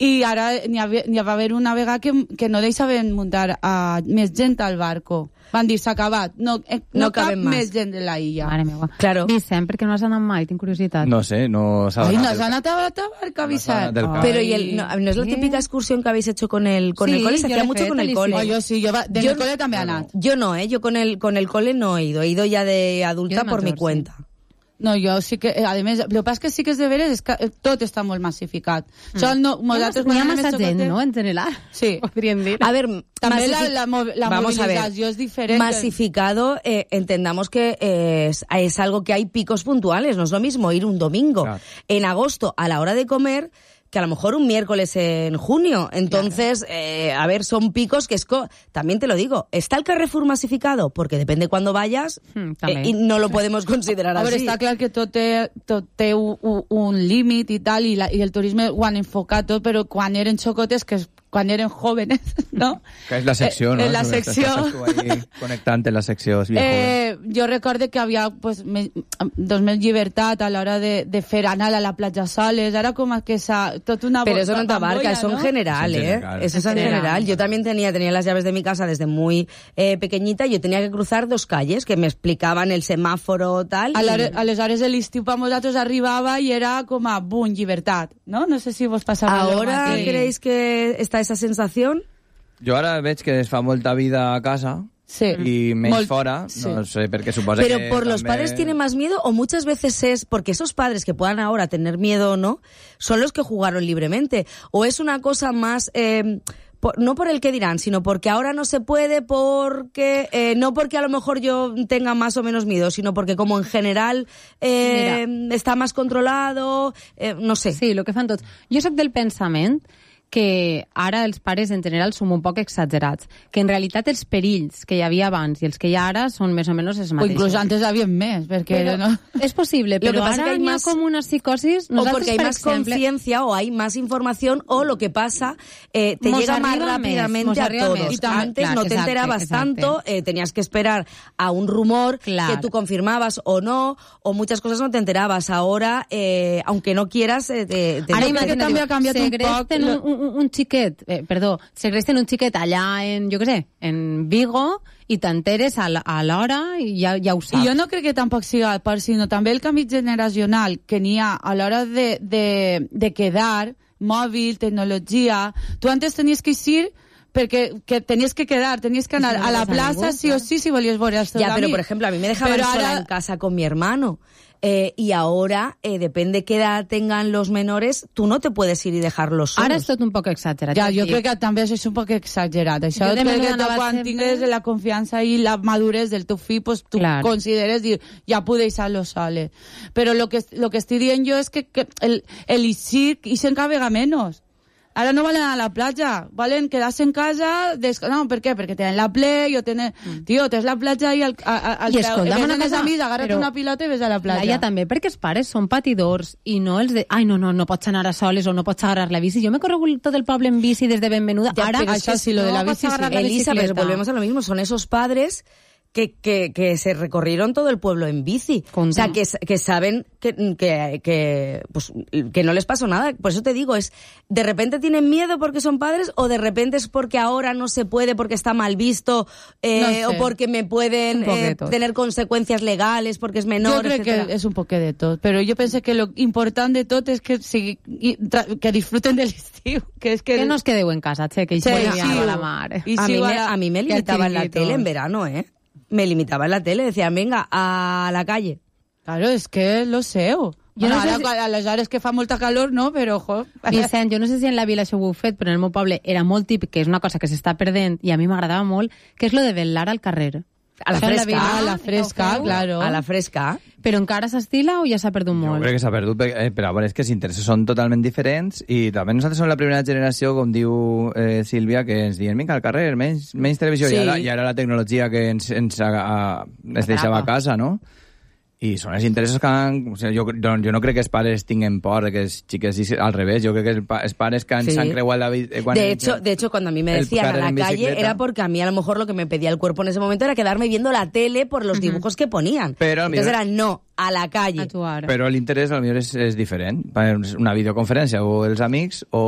I ara n'hi va haver una vegada que no deixaven muntar a més gent al barco. Van dir, s'ha acabat, no cap més gent de la illa. Mare meva. Claro. Vicent, per què no has anat mai? Tinc curiositat. No sé, no s'ha Ai, donat. no has anat a la barca, Vicent. Pero ¿no es la típica excursión que habéis hecho con el cole? Se hacía mucho con el cole. Yo sí, yo en el cole también he anat. Yo no, yo con el cole no he ido ya de adulta por mi cuenta. No, jo sí que... A més, el que passa que sí que és de veres és que tot està molt massificat. Hi ha massa gent, no?, en general. Sí. Podríem dir. A ver, també la movilizació es diferente. Masificado, entendamos que es algo que hay picos puntuales. No es lo mismo ir un domingo en agosto a la hora de comer que a lo mejor un miércoles en junio. Entonces, a ver, son picos que también te lo digo, ¿está el Carrefour masificado? Porque depende cuándo vayas y no lo podemos considerar así. A veure, està clar que tot té un límit i tal, i el turisme ho han enfocat tot, però quan eren xocotes, quan eren jóvenes, ¿no? Que és la secció, ¿no? La secció. Estàs tu ahí connectant en la secció. Jo recorde que havia pues, més llibertat a l'hora de fer anar a la platja soles, ara com que tot una... Pero eso no te abarca, eso en general, Eso es en general. Yo también tenía las llaves de mi casa desde muy pequeñita, yo tenía que cruzar 2 calles que me explicaban el semáforo, tal. Aleshores l'estiu per nosaltres arribava i era com a boom, llibertat, ¿no? No sé si vos passava ¿Ahora creéis que está esa sensación? Jo ara veig que es fa molta vida a casa y menys fora, no sé, porque suposa Pero que... por los padres tiene más miedo o muchas veces es porque esos padres que puedan ahora tener miedo o no, son los que jugaron libremente. O es una cosa más... no por el que dirán, sino porque ahora no se puede, porque no porque a lo mejor yo tenga más o menos miedo, sino porque como en general está más controlado, no sé. Sí, el que fan tots. Jo soc del pensament que ara els pares en general som un poc exagerats, que en realitat els perills que hi havia abans i els que hi ha ara són més o menys els mateixos. O inclús antes havia més, perquè... no... És possible, però ara hi ha com una psicosis... O porque hay más conciencia o hay más información o lo que pasa te llega más rápidamente a todos. Antes no te enterabas tanto, tenías que esperar a un rumor que tú confirmabas o no, o muchas cosas no te enterabas. Ahora, aunque no quieras... Ara imagina't també ha canviat un poc... segresten un xiquet allà en, jo què sé, en Vigo i t'enteres a l'hora i ja ho saps. I jo no crec que tampoc siga per, sinó també el canvi generacional que n'hi ha a l'hora de quedar, mòbil, tecnologia. Tu antes tenies que ir perquè tenies que quedar, tenies que anar a la plaça sí o sí si volies veure els teus amics. Ya, pero por ejemplo, a mí me dejaban sola en casa con mi hermano. Y ahora, depende qué edad tengan los menores, tú no te puedes ir y dejarlos solos. Ara és tot un poc exagerat. Ja, jo crec que també és un poc exagerat. Això crec que quan tingues la confiança i la madurez del teu fill, pues, tu consideres dir, ja puc deixar-lo soles. Però lo que estic dient jo és que el ixir s'encavega menys. Ara no valen a la platja, valen quedar-se en casa... No, per què? Perquè tenen la play o tenen... Tio, tens la platja i venen els amics, agarra't una pilota i ves a la platja. Laia, també, perquè els pares són patidors i no els de... Ai, no pots anar a soles o no pots agarrar la bici. Jo m'he corregut tot el poble en bici des de benvenuda. Ja, ara, això sí, lo de la bici sí. Elisa, pero volvemos a lo mismo. Son esos padres... Que se recorrieron todo el pueblo en bici. O sea, que saben que no les pasó nada. Por eso te digo, es de repente tienen miedo porque son padres o de repente es porque ahora no se puede porque está mal visto o porque me pueden tener consecuencias legales porque es menor, jo crec etcétera. Que és un poquet de tot, però jo penso que lo important de tot és que disfruten de l'estiu. Que no es quedeu en casa, che, que hi a la mar. A mí me limitaban la tele en verano, me limitaba en la tele, decían, venga, a la calle. Claro, es que lo sé. Aleshores que fa molta calor, no, però, ojo... Vicent, jo no sé si en la vila això ho heu fet, però en el meu poble era molt típic, que és una cosa que s'està perdent, i a mi m'agradava molt, que és lo de velar al carrer. A la fresca. A la fresca, claro. A la fresca. Però encara s'estila o ja s'ha perdut molt? Jo crec que s'ha perdut, però és que els interessos són totalment diferents i també nosaltres som la primera generació, com diu Sílvia, que ens diuen, vinga, al carrer, menys televisió, sí. I ara la tecnologia que ens deixava a casa, no? I són els interessos que jo no crec que els pares tinguen por de que els xiques al revés, jo crec que els pares que s'han creuat la vida... De hecho, cuando a mí me decían a la calle, era porque a mí a lo mejor lo que me pedía el cuerpo en ese momento era quedarme viendo la tele por los dibujos que ponían. Entonces era no, a la calle. Però l'interès potser és diferent. Una videoconferència o els amics o